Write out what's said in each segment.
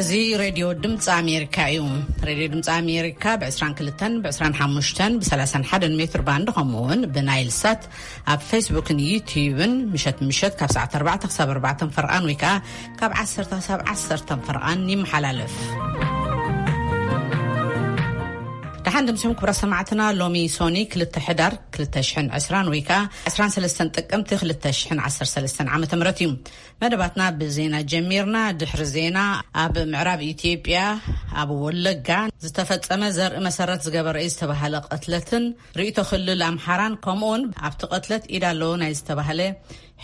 እዚ ሬድዮ ድምፂ ኣሜሪካ እዩ። ሬድዮ ድምፂ ኣሜሪካ ብ22፣ ብ25፣ ብ31 ሜትር ባንድ፣ ከምኡ እውን ብናይል ሳት ኣብ ፌስቡክን ዩትዩብን ምሸት ምሸት ካብ ሰዓት ኣርባዕተ ክሳብ ኣርባዕተ ፈርቓን ወይ ከዓ ካብ ዓሰርተ ክሳብ ዓሰርተ ፈርቓን ይመሓላለፍ። ደሓን ድምሲኹም ክብራ ሰማዕትና። ሎሚ ሶኒ ክልተ ሕዳር ክልተ ሽሕን ዕስራን ወይ ከዓ ዕስራን ሰለስተን ጥቅምቲ ክልተ ሽሕን ዓሰርተ ሰለስተን ዓመተ ምህረት እዩ። መደባትና ብዜና ጀሚርና። ድሕሪ ዜና፣ ኣብ ምዕራብ ኢትዮጵያ ኣብ ወለጋ ዝተፈጸመ ዘርኢ መሰረት ዝገበረ እዩ ዝተባሃለ ቅትለትን ርእይቶ ክልል ኣምሓራን፣ ከምኡውን ኣብቲ ቅትለት ኢድ ኣለዎ ናይ ዝተባሃለ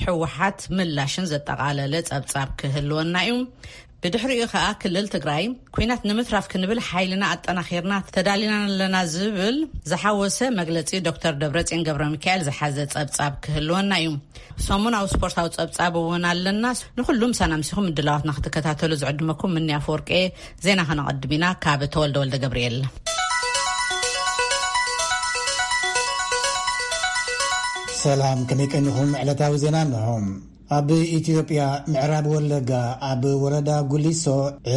ህወሓት ምላሽን ዘጠቓለለ ጸብጻብ ክህልወና እዩ። ብድሕሪኡ ከኣ ክልል ትግራይ፣ ኲናት ንምትራፍ ክንብል ሓይልና ኣጠናኺርና ተዳሊና ኣለና ዝብል ዝሓወሰ መግለጺ ዶክተር ደብረጽዮን ገብረ ሚካኤል ዝሓዘ ጸብጻብ ክህልወና እዩ። ሰሙናዊ ስፖርታዊ ጸብጻብ እውን ኣለና። ንኹሉም ሳና ምሲኹም ምድላዋትና ክትከታተሉ ዝዕድመኩም ምንያ ኣፈወርቂ። ዜና ከነቐድም ኢና ካብ ተወልደ ወልደ ገብርኤል። ሰላም፣ ከመይ ቀኒኹም? ዕለታዊ ዜና እንሆ። ኣብ ኢትዮጵያ ምዕራብ ወለጋ ኣብ ወረዳ ጉሊሶ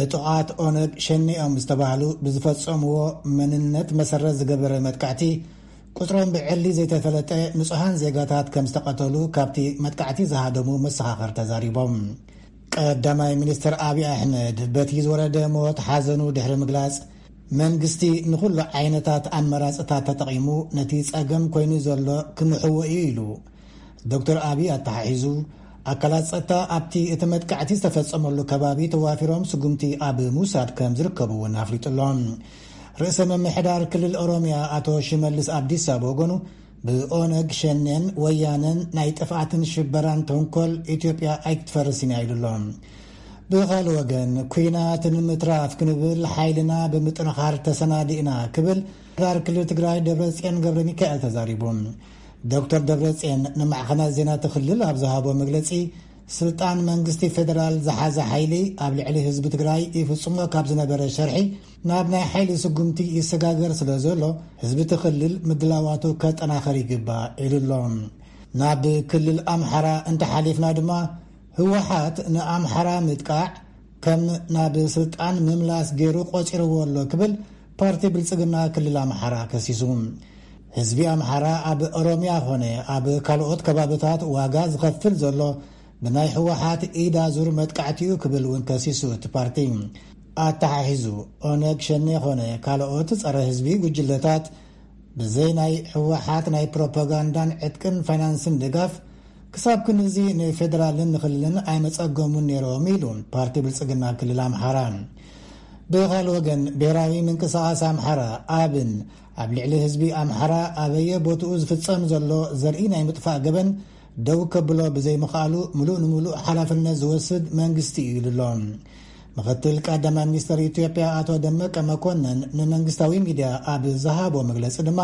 ዕጡቓት ኦነግ ሸኔ እዮም ዝተባህሉ ብዝፈጸምዎ መንነት መሰረት ዝገበረ መጥቃዕቲ ቁጽሮም ብዕሊ ዘይተፈለጠ ንጹሃን ዜጋታት ከም ዝተቐተሉ ካብቲ መጥቃዕቲ ዝሃደሙ መሰኻኽር ተዛሪቦም። ቀዳማይ ሚኒስትር ኣብይ ኣሕመድ በቲ ዝወረደ ሞት ሓዘኑ ድሕሪ ምግላጽ፣ መንግስቲ ንኹሉ ዓይነታት ኣመራጽታት ተጠቒሙ ነቲ ጸገም ኮይኑ ዘሎ ክምሕዎ እዩ ኢሉ። ዶክተር ኣብይ ኣተሓሒዙ፣ ኣካላት ጸጥታ ኣብቲ እቲ መጥቃዕቲ ዝተፈጸመሉ ከባቢ ተዋፊሮም ስጉምቲ ኣብ ምውሳድ ከም ዝርከቡ እውን ኣፍሊጡ ኣሎ። ርእሰ ምምሕዳር ክልል ኦሮሚያ ኣቶ ሽመልስ ኣብዲሳ ብወገኑ፣ ብኦነግ ሸኔን ወያነን ናይ ጥፍኣትን ሽበራን ተንኮል ኢትዮጵያ ኣይክትፈርስን እያ ኢሉ ኣሎ። ብኻልእ ወገን፣ ኲናት ንምትራፍ ክንብል ሓይልና ብምጥንኻር ተሰናዲእና ክብል ምምሕዳር ክልል ትግራይ ደብረጽዮን ገብረ ሚካኤል ተዛሪቡ። ዶክተር ደብረጽዮን ንማዕኸናት ዜና እቲ ክልል ኣብ ዝሃቦ መግለጺ፣ ስልጣን መንግስቲ ፌደራል ዝሓዘ ሓይሊ ኣብ ልዕሊ ህዝቢ ትግራይ ይፍጽሞ ካብ ዝነበረ ሸርሒ ናብ ናይ ሓይሊ ስጉምቲ ይሰጋገር ስለ ዘሎ፣ ህዝቢ እቲ ክልል ምድላዋቱ ከጠናኸር ይግባእ ኢሉ ኣሎ። ናብ ክልል ኣምሓራ እንተሓሊፍና ድማ፣ ህወሓት ንኣምሓራ ምጥቃዕ ከም ናብ ስልጣን ምምላስ ገይሩ ቆጺርዎ ኣሎ ክብል ፓርቲ ብልጽግና ክልል ኣምሓራ ከሲሱ። ህዝቢ ኣምሓራ ኣብ ኦሮሚያ ኾነ ኣብ ካልኦት ከባብታት ዋጋ ዝኸፍል ዘሎ ብናይ ህወሓት ኢድ ኣዙር መጥቃዕቲ እዩ ክብል እውን ከሲሱ እቲ ፓርቲ። ኣተሓሒዙ፣ ኦነግ ሸኔ ኾነ ካልኦት ጸረ ህዝቢ ጉጅለታት ብዘይ ናይ ህወሓት ናይ ፕሮፓጋንዳን ዕጥቅን ፋይናንስን ድጋፍ ክሳብ ክንዚ ንፌደራልን ንክልልን ኣይመጸገሙን ነይሮም ኢሉ ፓርቲ ብልጽግና ክልል ኣምሓራ። ብኻልእ ወገን፣ ብሄራዊ ምንቅስቓስ ኣምሓራ ኣብን ኣብ ልዕሊ ህዝቢ ኣምሓራ ኣበየ ቦትኡ ዝፍጸም ዘሎ ዘርኢ ናይ ምጥፋእ ገበን ደው ከብሎ ብዘይምኽኣሉ፣ ምሉእ ንምሉእ ሓላፍነት ዝወስድ መንግስቲ እዩ ኢሉ ኣሎ። ምኽትል ቀዳማይ ሚኒስትር ኢትዮጵያ ኣቶ ደመቀ መኮንን ንመንግስታዊ ሚድያ ኣብ ዝሃቦ መግለጺ ድማ፣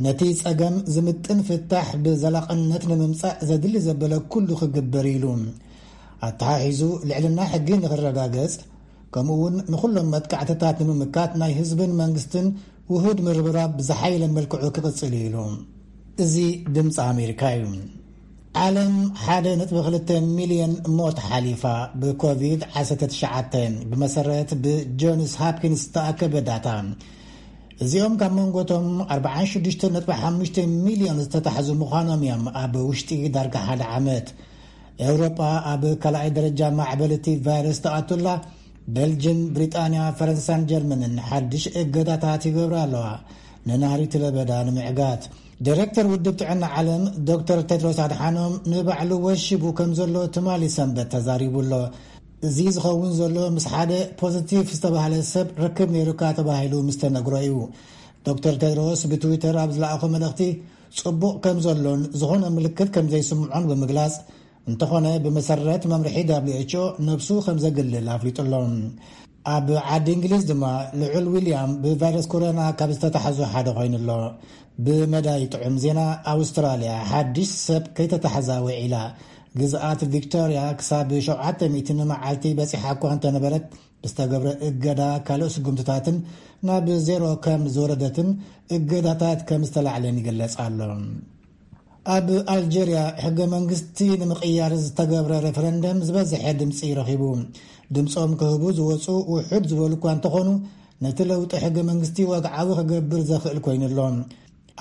ነቲ ጸገም ዝምጥን ፍታሕ ብዘላቕነት ንምምጻእ ዘድሊ ዘበለ ኩሉ ክግበር ኢሉ። ኣተሓሒዙ፣ ልዕልና ሕጊ ንኽረጋገጽ፣ ከምኡ እውን ንኹሎም መጥቃዕትታት ንምምካት ናይ ህዝብን መንግስትን ውሁድ ምርብራብ ብዝሓየለ መልክዑ ክቕጽል እዩ ኢሉ። እዚ ድምፂ ኣሜሪካ እዩ። ዓለም ሓደ ነጥቢ ክልተ ሚልዮን ሞት ሓሊፋ ብኮቪድ ዓሰርተ ትሽዓተ፣ ብመሰረት ብጆንስ ሃፕኪንስ ዝተኣከበ ዳታ። እዚኦም ካብ መንጎቶም ኣርባዓን ሽዱሽተ ነጥቢ ሓሙሽተ ሚልዮን ዝተታሕዙ ምዃኖም እዮም ኣብ ውሽጢ ዳርጋ ሓደ ዓመት። ኤውሮጳ ኣብ ካልኣይ ደረጃ ማዕበል እቲ ቫይረስ ተኣቱላ፣ ቤልጅን፣ ብሪጣንያ፣ ፈረንሳን ጀርመንን ሓድሽ እገዳታት ይገብራ ኣለዋ፣ ንናሪት ለበዳ ንምዕጋት። ዲሬክተር ውድብ ጥዕና ዓለም ዶክተር ቴድሮስ ኣድሓኖም ንባዕሉ ወሺቡ ከም ዘሎ ትማሊ ሰንበት ተዛሪቡ ኣሎ። እዚ ዝኸውን ዘሎ ምስ ሓደ ፖዚቲቭ ዝተባህለ ሰብ ርክብ ነይሩካ ተባሂሉ ምስ ተነግሮ እዩ። ዶክተር ቴድሮስ ብትዊተር ኣብ ዝለኣኾ መልእኽቲ፣ ጽቡቕ ከም ዘሎን ዝኾነ ምልክት ከም ዘይስምዖን ብምግላጽ፣ እንተኾነ ብመሰረት መምርሒ ደብሊው ኤች ኦ ነብሱ ከም ዘግልል ኣፍሊጡ ኣሎ። ኣብ ዓዲ እንግሊዝ ድማ ልዑል ዊልያም ብቫይረስ ኮሮና ካብ ዝተታሕዙ ሓደ ኮይኑ ኣሎ። ብመዳይ ጥዑም ዜና፣ ኣውስትራልያ ሓድሽ ሰብ ከይተታሕዛ ውዒላ። ግዝኣት ቪክቶርያ ክሳብ ሸውዓተ ሚእቲ ንመዓልቲ በጺሓ እኳ እንተነበረት፣ ብዝተገብረ እገዳ ካልእ ስጉምትታትን ናብ ዜሮ ከም ዝወረደትን እገዳታት ከም ዝተላዕለን ይግለጽ ኣሎ። ኣብ ኣልጀርያ ሕገ መንግስቲ ንምቕያር ዝተገብረ ሬፈረንደም ዝበዝሐ ድምፂ ረኺቡ። ድምጾም ክህቡ ዝወጹ ውሑድ ዝበሉ እኳ እንተኾኑ፣ ነቲ ለውጢ ሕገ መንግስቲ ወግዓዊ ክገብር ዘኽእል ኮይኑ ኣሎ።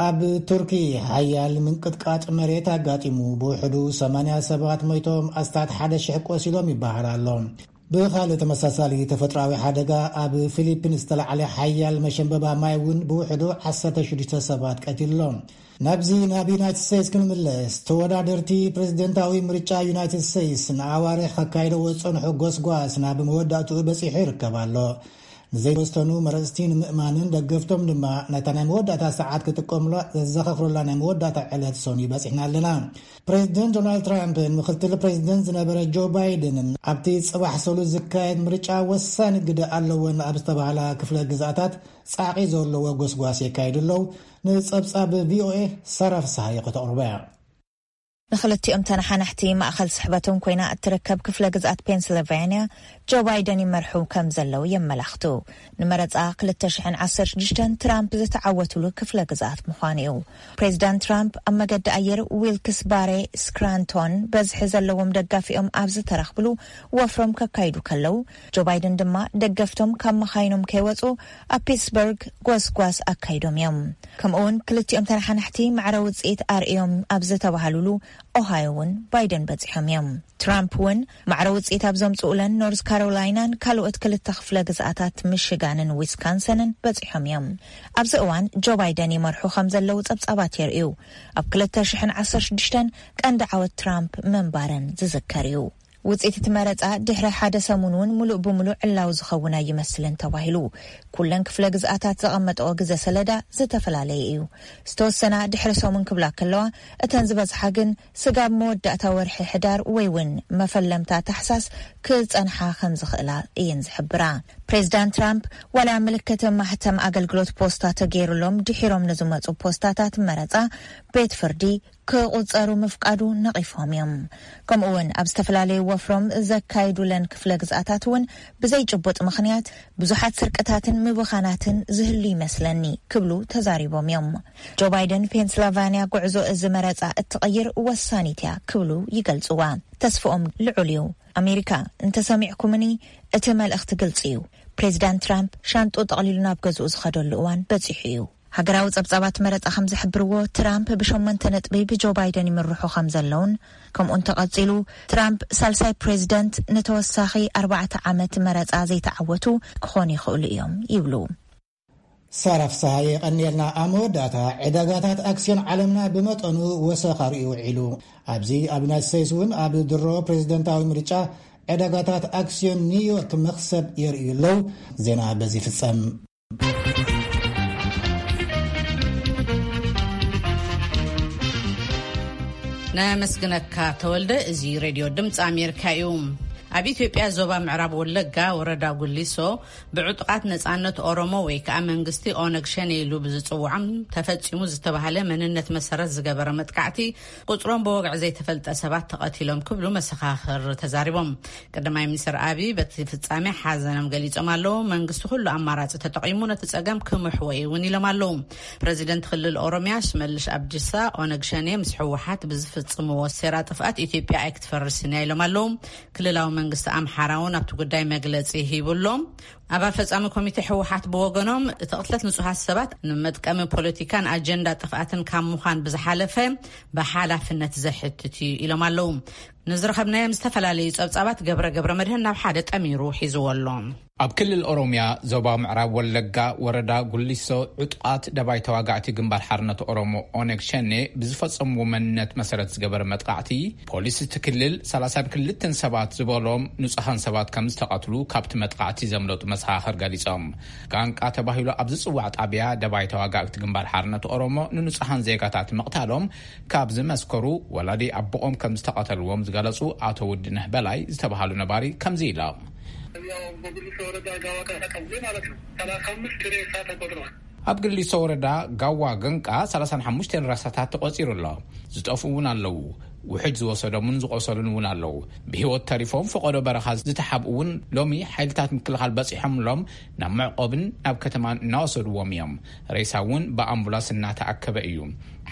ኣብ ቱርኪ ሓያል ምንቅጥቃጥ መሬት ኣጋጢሙ፣ ብውሕዱ ሰማንያ ሰባት ሞይቶም፣ ኣስታት ሓደ ሽሕ ቆሲሎም ይበሃል ኣሎ። ብኻልእ ተመሳሳሊ ተፈጥሮኣዊ ሓደጋ፣ ኣብ ፊሊፒንስ ዝተላዕለ ሓያል መሸንበባ ማይ እውን ብውሕዱ ዓሰርተ ሽዱሽተ ሰባት ቀቲሉ ኣሎ። ናብዚ ናብ ዩናይትድ ስቴትስ ክንምለስ፣ ተወዳደርቲ ፕሬዝደንታዊ ምርጫ ዩናይትድ ስቴትስ ንኣዋርሕ ከካይደዎ ዝጸንሑ ጎስጓስ ናብ መወዳእትኡ በጺሑ ይርከብ ኣሎ። ንዘይወሰኑ መረጽቲ ንምእማንን ደገፍቶም ድማ ነታ ናይ መወዳእታ ሰዓት ክጥቀሙላ ዘዘኻኽሩላ ናይ መወዳእታ ዕለት ሰኑይ በጺሕና ኣለና። ፕሬዝደንት ዶናልድ ትራምፕን ምክትል ፕሬዝደንት ዝነበረ ጆ ባይደንን ኣብቲ ጽባሕ ሰሉስ ዝካየድ ምርጫ ወሳኒ ግደ ኣለወን ኣብ ዝተባህላ ክፍለ ግዝኣታት ጻዕቒ ዘለዎ ጎስጓስ የካይዱ ኣለዉ። ንጸብጻብ ቪኦኤ ሳራ ፍስሃየ ከተቕርቦ እያ። ንክልቲኦም ተነሓናሕቲ ማእኸል ስሕበቶም ኮይና እትርከብ ክፍለ ግዝኣት ፔንስልቫንያ ጆ ባይደን ይመርሑ ከም ዘለዉ የመላኽቱ። ንመረፃ ክልተ ሽሕን ዓሰርተ ሽዱሽተን ትራምፕ ዝተዓወትሉ ክፍለ ግዝኣት ምዃኑ እዩ። ፕሬዚዳንት ትራምፕ ኣብ መገዲ ኣየር ዊልክስ ባሬ ስክራንቶን በዝሒ ዘለዎም ደጋፊኦም ኣብ ዝተረኽብሉ ወፍሮም ከካይዱ ከለዉ፣ ጆ ባይደን ድማ ደገፍቶም ካብ መኻይኖም ከይወፁ ኣብ ፒትስበርግ ጎስጓስ ኣካይዶም እዮም። ከምኡ እውን ክልቲኦም ተነሓናሕቲ ማዕረ ውፅኢት ኣርእዮም ኣብ ዝተባሃሉሉ ኦሃዮ እውን ባይደን በፂሖም እዮም። ትራምፕ እውን ማዕረ ውፅኢት ኣብ ዘምፅኡለን ኖርዝ ካሮላይናን ካልኦት ክልተ ክፍለ ግዝኣታት ሚሽጋንን ዊስካንሰንን በፂሖም እዮም። ኣብዚ እዋን ጆ ባይደን ይመርሑ ከም ዘለዉ ፀብፃባት የርእዩ። ኣብ ክልተ ሽሕን ዓሰርተ ሽዱሽተን ቀንዲ ዓወት ትራምፕ ምንባረን ዝዝከር እዩ። ውፅኢት እቲ መረፃ ድሕሪ ሓደ ሰሙን እውን ሙሉእ ብሙሉእ ዕላዊ ዝኸውን ኣይመስልን ተባሂሉ። ኩለን ክፍለ ግዝኣታት ዘቐመጠኦ ግዘ ሰለዳ ዝተፈላለየ እዩ። ዝተወሰና ድሕሪ ሰሙን ክብላ ከለዋ፣ እተን ዝበዝሓ ግን ስጋብ መወዳእታ ወርሒ ሕዳር ወይ እውን መፈለምታ ታሕሳስ ክጸንሓ ከም ዝኽእላ እየን ዝሕብራ። ፕሬዚዳንት ትራምፕ ዋላ ምልክት ማህተም ኣገልግሎት ፖስታ ተገይሩሎም ድሒሮም ንዝመጹ ፖስታታት መረጻ ቤት ፍርዲ ክቑጸሩ ምፍቃዱ ነቒፎም እዮም። ከምኡ እውን ኣብ ዝተፈላለዩ ወፍሮም ዘካይዱለን ክፍለ ግዝኣታት እውን ብዘይ ጭቡጥ ምኽንያት ብዙሓት ስርቅታትን ምብኻናትን ዝህሉ ይመስለኒ ክብሉ ተዛሪቦም እዮም። ጆ ባይደን ፔንስልቫንያ ጉዕዞ እዚ መረጻ እትቕይር ወሳኒት እያ ክብሉ ይገልጽዋ። ተስፍኦም ልዑል እዩ። ኣሜሪካ እንተሰሚዕኩምኒ እቲ መልእኽቲ ግልጺ እዩ። ፕሬዚዳንት ትራምፕ ሻንጡ ጠቕሊሉ ናብ ገዝኡ ዝኸደሉ እዋን በጺሑ እዩ። ሃገራዊ ጸብጻባት መረጻ ከም ዝሕብርዎ፣ ትራምፕ ብሸሞንተ ነጥቢ ብጆ ባይደን ይምርሑ ከም ዘለውን፣ ከምኡ እንተቐጺሉ ትራምፕ ሳልሳይ ፕሬዚደንት ንተወሳኺ ኣርባዕተ ዓመት መረጻ ዘይተዓወቱ ክኾኑ ይኽእሉ እዮም ይብሉ። ሳራ ፍስሃየ የቐንየልና። ኣብ መወዳእታ፣ ዕዳጋታት ኣክስዮን ዓለምና ብመጠኑ ወሰኽ ኣርእዩ ውዒሉ። ኣብዚ ኣብ ዩናይትድ ስቴትስ እውን ኣብ ድሮ ፕሬዚደንታዊ ምርጫ ዕዳጋታት ኣክስዮን ኒውዮርክ መኽሰብ የርእዩ ኣለዉ። ዜና በዚ ይፍጸም። ነመስግነካ ተወልደ። እዚ ሬድዮ ድምፂ ኣሜሪካ እዩ። ኣብ ኢትዮጵያ ዞባ ምዕራብ ወለጋ ወረዳ ጉሊሶ ብዕጡቓት ነፃነት ኦሮሞ ወይ ከዓ መንግስቲ ኦነግ ሸኔ ኢሉ ብዝፅውዖም ተፈፂሙ ዝተባሃለ መንነት መሰረት ዝገበረ መጥቃዕቲ ቁፅሮም ብወግዒ ዘይተፈልጠ ሰባት ተቐቲሎም ክብሉ መሰኻኽር ተዛሪቦም። ቀዳማይ ሚኒስትር ኣቢይ በቲ ፍጻሜ ሓዘኖም ገሊጾም ኣለዉ። መንግስቲ ኩሉ ኣማራጺ ተጠቒሙ ነቲ ጸገም ክምሕዎ እዩ እውን ኢሎም ኣለዉ። ፕረዚደንት ክልል ኦሮሚያ ሽመልሽ ኣብዲሳ ኦነግ ሸኔ ምስ ህወሓት ብዝፍጽምዎ ሴራ ጥፍኣት ኢትዮጵያ ኣይክትፈርስን እያ ኢሎም ኣለዉ። ክልላዊ መንግስቲ ኣምሓራ እውን ኣብቲ ጉዳይ መግለጺ ሂቡ ኣሎ። ኣባል ፈጻሚ ኮሚቴ ህወሓት ብወገኖም፣ እቲ ቅትለት ንጹሃት ሰባት ንመጥቀሚ ፖለቲካን ኣጀንዳ ጥፍኣትን ካብ ምዃን ብዝሓለፈ ብሓላፍነት ዘሕትት እዩ ኢሎም ኣለዉ። ንዝረኸብናዮም ዝተፈላለዩ ጸብጻባት ገብረ ገብረ መድህን ናብ ሓደ ጠሚሩ ሒዝዎ ኣሎ። ኣብ ክልል ኦሮሚያ ዞባ ምዕራብ ወለጋ ወረዳ ጉሊሶ ዕጡቓት ደባይ ተዋጋእቲ ግንባር ሓርነት ኦሮሞ ኦነግ ሸኔ ብዝፈጸምዎ መንነት መሰረት ዝገበረ መጥቃዕቲ ፖሊስ እቲ ክልል ሰላሳን ክልተን ሰባት ዝበሎም ንጹሃን ሰባት ከም ዝተቐትሉ ካብቲ መጥቃዕቲ ዘምለጡ መሰኻኽር ገሊጾም። ጋንቃ ተባሂሉ ኣብ ዝጽዋዕ ጣብያ ደባይ ተዋጋእቲ ግንባር ሓርነት ኦሮሞ ንንጹሃን ዜጋታት ምቕታሎም ካብ ዝመስከሩ ወላዲ ኣቦኦም ከም ዝተቐተልዎም ዝገለጹ ኣቶ ውድነህ በላይ ዝተባሃሉ ነባሪ ከምዚ ኢሎም። ያው በጉሊሶ ወረዳ ጋዋ ቀበሌ ማለት ነው። ሰላሳ አምስት ሬሳ ተቆጥሯል። ኣብ ግሊሶ ወረዳ ጋዋ ገንቃ ሰላሳን ሓሙሽተን ራሳታት ተቖጺሩ ኣሎ። ዝጠፍኡ እውን ኣለዉ። ውሕጅ ዝወሰዶምን ዝቖሰሉን እውን ኣለዉ። ብህይወት ተሪፎም ፈቐዶ በረኻ ዝተሓብኡ እውን ሎሚ ሓይልታት ምክልኻል በጺሖምሎም ናብ መዕቆብን ናብ ከተማን እናወሰድዎም እዮም። ሬሳ እውን ብኣምቡላንስ እናተኣከበ እዩ።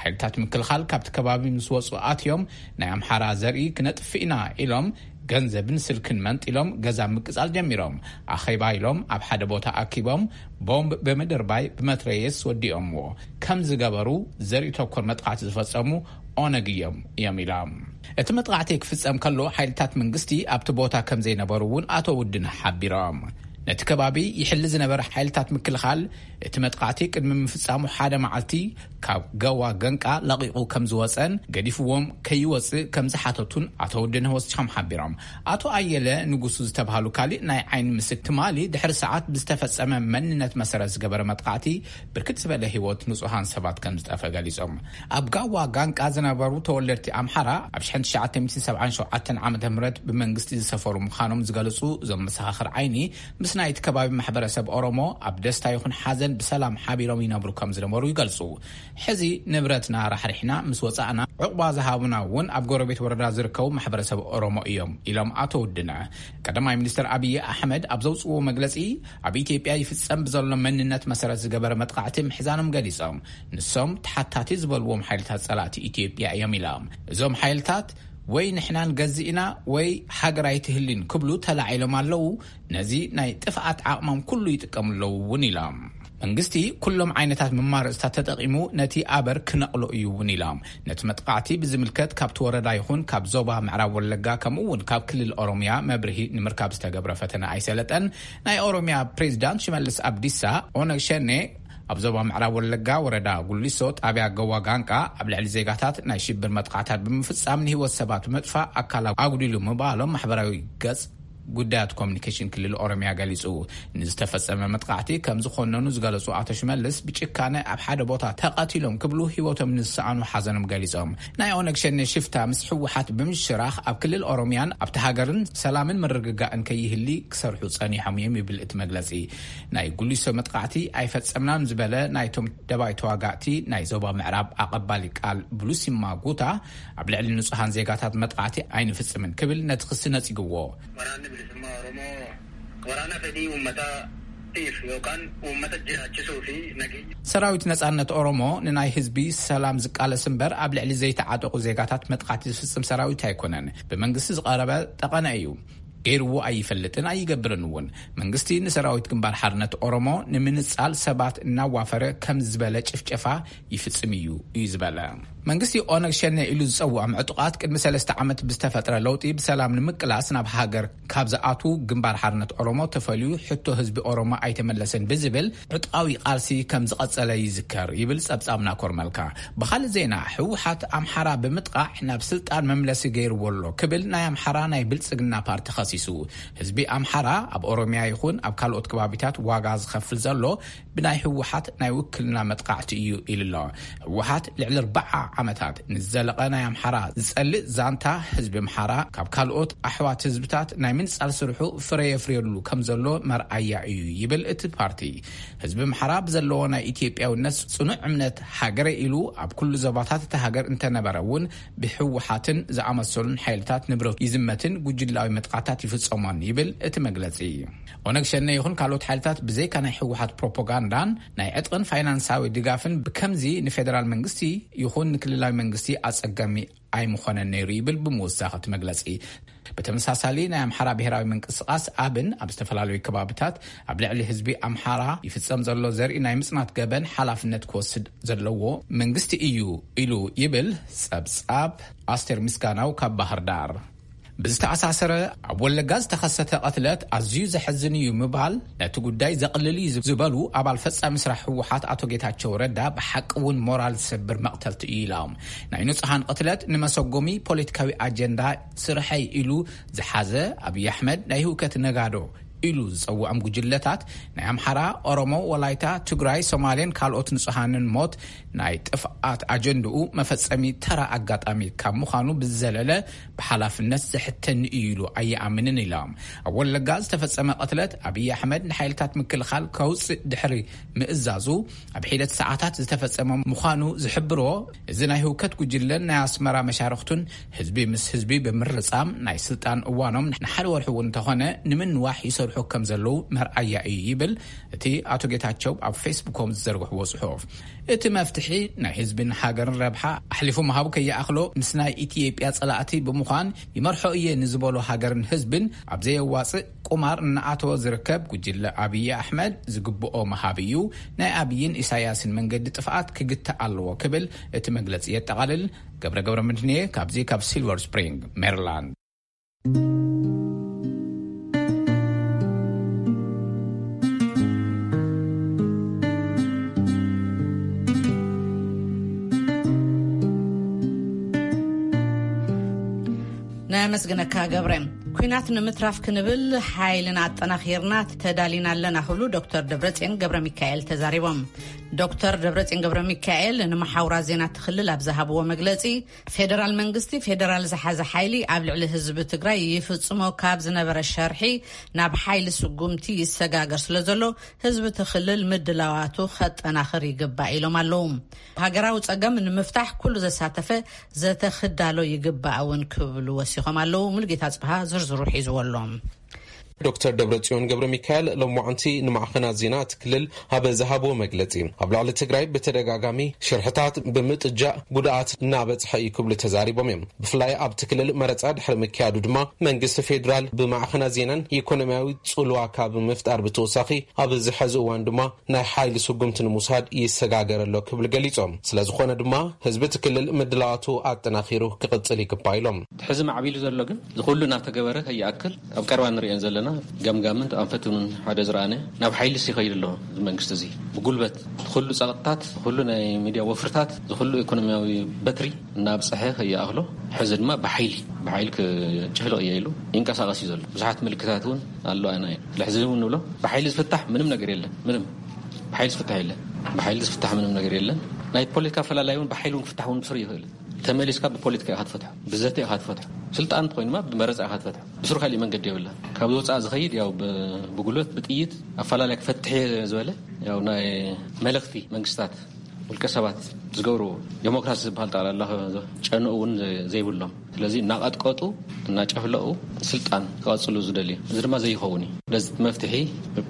ሓይልታት ምክልኻል ካብቲ ከባቢ ምስ ወጹ ኣትዮም ናይ ኣምሓራ ዘርኢ ክነጥፍእ ኢና ኢሎም ገንዘብን ስልክን መንጢሎም ገዛ ምቅጻል ጀሚሮም። ኣኼባ ኢሎም ኣብ ሓደ ቦታ ኣኪቦም ቦምብ ብምድርባይ ብመትረየስ ወዲኦምዎ። ከም ዝገበሩ ዘርኢ ተኮር መጥቃዕቲ ዝፈጸሙ ኦነግ እዮም እዮም ኢሎም። እቲ መጥቃዕቲ ክፍጸም ከሎ ሓይልታት መንግስቲ ኣብቲ ቦታ ከም ዘይነበሩ እውን ኣቶ ውድን ሓቢሮም። ነቲ ከባቢ ይሕሊ ዝነበረ ሓይልታት ምክልኻል እቲ መጥቃዕቲ ቅድሚ ምፍጻሙ ሓደ መዓልቲ ካብ ገዋ ገንቃ ለቒቑ ከም ዝወጸን ገዲፍዎም ከይወጽእ ከም ዝሓተቱን ኣቶ ውድነህ ወሲኾም ሓቢሮም። ኣቶ ኣየለ ንጉሱ ዝተባህሉ ካሊእ ናይ ዓይኒ ምስክር ትማሊ ድሕሪ ሰዓት ብዝተፈጸመ መንነት መሰረት ዝገበረ መጥቃዕቲ ብርክት ዝበለ ህይወት ንጹሃን ሰባት ከም ዝጠፈ ገሊጾም። ኣብ ጋዋ ጋንቃ ዝነበሩ ተወለድቲ ኣምሓራ ኣብ ሽሕን ትሽዓተ ሚእትን ሰብዓን ሸውዓተን ዓመተ ምህረት ብመንግስቲ ዝሰፈሩ ምዃኖም ዝገልጹ እዞም መሰኻኽር ዓይኒ ምስ ናይቲ ከባቢ ማሕበረሰብ ኦሮሞ ኣብ ደስታ ይኹን ሓዘን ብሰላም ሓቢሮም ይነብሩ ከም ዝነበሩ ይገልጹ። ሕዚ ንብረትና ራሕሪሕና ምስ ወጻእና ዕቑባ ዝሃቡና እውን ኣብ ጎረቤት ወረዳ ዝርከቡ ማሕበረሰብ ኦሮሞ እዮም ኢሎም ኣቶ ውድነ። ቀዳማይ ሚኒስትር ኣብይ ኣሕመድ ኣብ ዘውፅዎ መግለፂ ኣብ ኢትዮጵያ ይፍጸም ብዘሎ መንነት መሰረት ዝገበረ መጥቃዕቲ ምሕዛኖም ገሊጾም። ንሶም ተሓታቲ ዝበልዎም ሓይልታት ጸላእቲ ኢትዮጵያ እዮም ኢሎም። እዞም ሓይልታት ወይ ንሕና ንገዝእ ኢና ወይ ሃገር ኣይትህልን ክብሉ ተላዒሎም ኣለዉ። ነዚ ናይ ጥፍኣት ዓቕሞም ኩሉ ይጥቀሙ ኣለዉ እውን ኢሎም። መንግስቲ ኩሎም ዓይነታት መማረፅታት ተጠቒሙ ነቲ ኣበር ክነቕሎ እዩ እውን ኢሎም። ነቲ መጥቃዕቲ ብዝምልከት ካብቲ ወረዳ ይኹን ካብ ዞባ ምዕራብ ወለጋ ከምኡ እውን ካብ ክልል ኦሮሚያ መብርሂ ንምርካብ ዝተገብረ ፈተነ ኣይሰለጠን። ናይ ኦሮሚያ ፕሬዚዳንት ሽመልስ ኣብዲሳ ኦነግ ሸኔ ኣብ ዞባ ምዕራብ ወለጋ ወረዳ ጉሊሶ ጣብያ ገዋ ጋንቃ ኣብ ልዕሊ ዜጋታት ናይ ሽብር መጥቃዕታት ብምፍጻም ንህይወት ሰባት ምጥፋእ ኣካል ኣጉዲሉ ምባሎም ማሕበራዊ ገጽ ጉዳያት ኮሚኒኬሽን ክልል ኦሮሚያ ገሊጹ። ንዝተፈጸመ መጥቃዕቲ ከም ዝኾነኑ ዝገለጹ ኣቶ ሽመልስ ብጭካነ ኣብ ሓደ ቦታ ተቐቲሎም ክብሉ ህይወቶም ንዝሰኣኑ ሓዘኖም ገሊጾም። ናይ ኦነግ ሸኔ ሽፍታ ምስ ህወሓት ብምሽራኽ ኣብ ክልል ኦሮሚያን ኣብቲ ሃገርን ሰላምን ምርግጋእን ከይህሊ ክሰርሑ ጸኒሖም እዮም ይብል እቲ መግለጺ። ናይ ጉሊሶ መጥቃዕቲ ኣይፈጸምናን ዝበለ ናይቶም ደባይ ተዋጋእቲ ናይ ዞባ ምዕራብ ኣቐባሊ ቃል ብሉሲማ ጉታ ኣብ ልዕሊ ንጹሃን ዜጋታት መጥቃዕቲ ኣይንፍጽምን ክብል ነቲ ክሲ ነጺግዎ። Waraanni bilisummaa Oromoo waraana fedhii uummataatiif yookaan uummata jiraachisuu fi nageenya ሰራዊት ነጻነት ኦሮሞ ንናይ ህዝቢ ሰላም ዝቃለስ እምበር ኣብ ልዕሊ ዘይተዓጠቑ ዜጋታት መጥቃዕቲ ዝፍጽም ሰራዊት ኣይኮነን። ብመንግስቲ ዝቐረበ ጠቐነ እዩ። ገይርዎ ኣይፈልጥን ኣይገብርን እውን። መንግስቲ ንሰራዊት ግንባር ሓርነት ኦሮሞ ንምንጻል ሰባት እናዋፈረ ከም ዝበለ ጭፍጨፋ ይፍጽም እዩ እዩ ዝበለ። መንግስቲ ኦነግ ሸኔ ኢሉ ዝጸውዖም ዕጡቓት ቅድሚ ሰለስተ ዓመት ብዝተፈጥረ ለውጢ ብሰላም ንምቅላስ ናብ ሃገር ካብ ዝኣትዉ ግንባር ሓርነት ኦሮሞ ተፈልዩ ሕቶ ህዝቢ ኦሮሞ ኣይተመለሰን ብዝብል ዕጥቃዊ ቃልሲ ከም ዝቐጸለ ይዝከር ይብል ጸብጻብ ናኮር መልካ። ብኻልእ ዜና ህወሓት ኣምሓራ ብምጥቃዕ ናብ ስልጣን መምለሲ ገይርዎ ኣሎ ክብል ናይ ኣምሓራ ናይ ብልጽግና ፓርቲ ከሲሱ። ህዝቢ ኣምሓራ ኣብ ኦሮሚያ ይኹን ኣብ ካልኦት ከባቢታት ዋጋ ዝኸፍል ዘሎ ብናይ ህወሓት ናይ ውክልና መጥቃዕቲ እዩ ኢሉ ኣሎ። ህወሓት ልዕሊ ኣርባዓ ዓመታት ንዝዘለቐ ናይ ኣምሓራ ዝጸልእ ዛንታ ህዝቢ ኣምሓራ ካብ ካልኦት ኣሕዋት ህዝብታት ናይ ምንጻል ስርሑ ፍረ የፍርየሉ ከም ዘሎ መርኣያ እዩ ይብል እቲ ፓርቲ። ህዝቢ ኣምሓራ ብዘለዎ ናይ ኢትዮጵያውነት ጽኑዕ እምነት ሃገረ ኢሉ ኣብ ኩሉ ዞባታት እቲ ሃገር እንተነበረ እውን ብህወሓትን ዝኣመሰሉን ሓይልታት ንብረቱ ይዝመትን ጉጅላዊ መጥቃዕታት ይፍጸሞን ይብል እቲ መግለጺ። ኦነግ ሸኔ ይኹን ካልኦት ሓይልታት ብዘይካ ናይ ህወሓት ፕሮፓጋንዳን ናይ ዕጥቕን ፋይናንሳዊ ድጋፍን ብከምዚ ንፌደራል መንግስቲ ይኹን ንክልላዊ መንግስቲ ኣጸጋሚ ኣይምኾነን ነይሩ ይብል ብምውሳኽ እቲ መግለጺ። ብተመሳሳሊ ናይ ኣምሓራ ብሔራዊ ምንቅስቓስ ኣብን ኣብ ዝተፈላለዩ ከባብታት ኣብ ልዕሊ ህዝቢ ኣምሓራ ይፍጸም ዘሎ ዘርኢ ናይ ምጽናት ገበን ሓላፍነት ክወስድ ዘለዎ መንግስቲ እዩ ኢሉ ይብል ጸብጻብ ኣስቴር ምስጋናው ካብ ባህር ዳር። ብዝተኣሳሰረ ኣብ ወለጋ ዝተኸሰተ ቅትለት ኣዝዩ ዘሕዝን እዩ ምባል ነቲ ጉዳይ ዘቕልል እዩ ዝበሉ ኣባል ፈጻሚ ስራሕ ህወሓት ኣቶ ጌታቸው ረዳ ብሓቂ እውን ሞራል ዝሰብር መቕተልቲ እዩ ኢሎም። ናይ ንጹሃን ቅትለት ንመሰጎሚ ፖለቲካዊ ኣጀንዳ ስርሐይ ኢሉ ዝሓዘ ኣብይ ኣሕመድ ናይ ህውከት ነጋዶ ኢሉ ዝጸውዖም ጉጅለታት ናይ ኣምሓራ፣ ኦሮሞ፣ ወላይታ፣ ትግራይ፣ ሶማሌን ካልኦት ንጹሃንን ሞት ናይ ጥፍኣት ኣጀንድኡ መፈጸሚ ተራ ኣጋጣሚ ካብ ምዃኑ ብዝዘለለ ብሓላፍነት ዘሕተኒ እዩ ኢሉ ኣይኣምንን ኢሎም። ኣብ ወለጋ ዝተፈጸመ ቅትለት ኣብይ ኣሕመድ ንሓይልታት ምክልኻል ከውፅእ ድሕሪ ምእዛዙ ኣብ ሒደት ሰዓታት ዝተፈጸመ ምዃኑ ዝሕብሮ እዚ ናይ ህውከት ጉጅለን ናይ ኣስመራ መሻርኽቱን ህዝቢ ምስ ህዝቢ ብምርጻም ናይ ስልጣን እዋኖም ንሓደ ወርሒ እውን እንተኾነ ንምንዋሕ ይሰርሑ ይሰርሑ ከም ዘለዉ መርኣያ እዩ ይብል እቲ ኣቶ ጌታቸው ኣብ ፌስቡኮም ዝዘርግሕዎ ጽሑፍ። እቲ መፍትሒ ናይ ህዝብን ሃገርን ረብሓ ኣሕሊፉ ምሃቡ ከይኣኽሎ ምስ ናይ ኢትዮጵያ ጸላእቲ ብምዃን ይመርሖ እየ ንዝበሎ ሃገርን ህዝብን ኣብ ዘየዋጽእ ቁማር እናኣተወ ዝርከብ ጉጅለ ኣብይ ኣሕመድ ዝግብኦ ምሃብ እዩ። ናይ ኣብይን ኢሳያስን መንገዲ ጥፍኣት ክግታእ ኣለዎ ክብል እቲ መግለጺ የጠቓልል። ገብረ ገብረ ምድንየ ካብዚ ካብ ሲልቨር ስፕሪንግ ሜሪላንድ። ነመስግነካ ገብረ። ኲናት ንምትራፍ ክንብል ሓይልና ኣጠናኺርና ተዳሊና ኣለና ክብሉ ዶክተር ደብረጽዮን ገብረ ሚካኤል ተዛሪቦም። ዶክተር ደብረጽዮን ገብረ ሚካኤል ንመሓውራት ዜና እቲ ክልል ኣብ ዝሃብዎ መግለጺ፣ ፌደራል መንግስቲ ፌደራል ዝሓዘ ሓይሊ ኣብ ልዕሊ ህዝቢ ትግራይ ይፍጽሞ ካብ ዝነበረ ሸርሒ ናብ ሓይሊ ስጉምቲ ይሰጋገር ስለ ዘሎ ህዝቢ እቲ ክልል ምድላዋቱ ከጠናኽር ይግባእ ኢሎም ኣለዉ። ሃገራዊ ጸገም ንምፍታሕ ኩሉ ዘሳተፈ ዘተ ክዳሎ ይግባእ እውን ክብሉ ወሲኾም ኣለዉ። ሙሉጌታ ጽብሃ ዝርዝሩ ሒዝዎ ኣሎ። ዶክተር ደብረጽዮን ገብረ ሚካኤል ሎማዕንቲ ንማዕኸናት ዜና እቲ ክልል ኣብ ዝሃብዎ መግለጺ፣ ኣብ ልዕሊ ትግራይ ብተደጋጋሚ ሽርሕታት ብምጥጃእ ጉድኣት እናበጽሐ እዩ ክብሉ ተዛሪቦም እዮም። ብፍላይ ኣብቲ ክልል መረጻ ድሕሪ ምክያዱ ድማ መንግስቲ ፌዴራል ብማዕኸናት ዜናን ኢኮኖሚያዊ ጽልዋ ካብ ምፍጣር ብተወሳኺ ኣብዚ ሕዚ እዋን ድማ ናይ ሓይሊ ስጉምቲ ንምውሳድ ይሰጋገር ኣሎ ክብሉ ገሊጾም። ስለዝኾነ ድማ ህዝቢ እቲ ክልል ምድላዋቱ ኣጠናኺሩ ክቕጽል ይግባእ ኢሎም። ሕዚ ማዕቢሉ ዘሎ ግን ዝኹሉ እናተገበረ ከይኣክል ኣብ ቀረባ ንሪኦን ዘለና ገምጋምን ኣንፈቱን ሓደ ዝረኣነ ናብ ሓይሊ ይኸይድ ኣሎ። እዚ መንግስቲ እዚ ብጉልበት ኩሉ ጸቕጥታት፣ ኩሉ ናይ ሚድያ ወፍርታት፣ ዝኹሉ ኢኮኖሚያዊ በትሪ እናብፀሐ ከይኣኽሎ ሕዚ ድማ ብሓይሊ ብሓይሊ ክጭፍልቕ እየ ኢሉ ይንቀሳቐስ እዩ ዘሎ። ብዙሓት ምልክታት እውን ኣለዋና እየን። ስለዚ እውን ንብሎ ብሓይሊ ዝፍታሕ ምንም ነገር የለን። ምንም ብሓይሊ ዝፍታሕ የለን። ብሓይሊ ዝፍታሕ ምንም ነገር የለን። ናይ ፖለቲካ ኣፈላላይ እውን ብሓይሊ እውን ክፍታሕ እውን ብስሩ ይኽእል። ተመሊስካ ብፖለቲካ ኢኻ ትፈትሖ፣ ብዘተ ኢኻ ትፈትሖ። ስልጣን እንተኾይኑ ድማ ብመረፃ ኢኻ ትፈትሖ። ብስሩ ካሊእ መንገዲ የብላ። ካብ ዝወፃእ ዝኸይድ ያው ብ- ብጉልበት ብጥይት ኣፈላላይ ክፈትሕ እየ ዝበለ ያው ናይ መለኽቲ መንግስታት ውልቀ ሰባት ዝገብርዎ ዴሞክራሲ ዝበሃል ጠቕላላ ጨንኡ እውን ዘይብሎም። ስለዚ እናቐጥቀጡ እናጨፍለቑ ስልጣን ክቐፅሉ ዝደልዩ፣ እዚ ድማ ዘይኸውን እዩ። ስለዚ እቲ መፍትሒ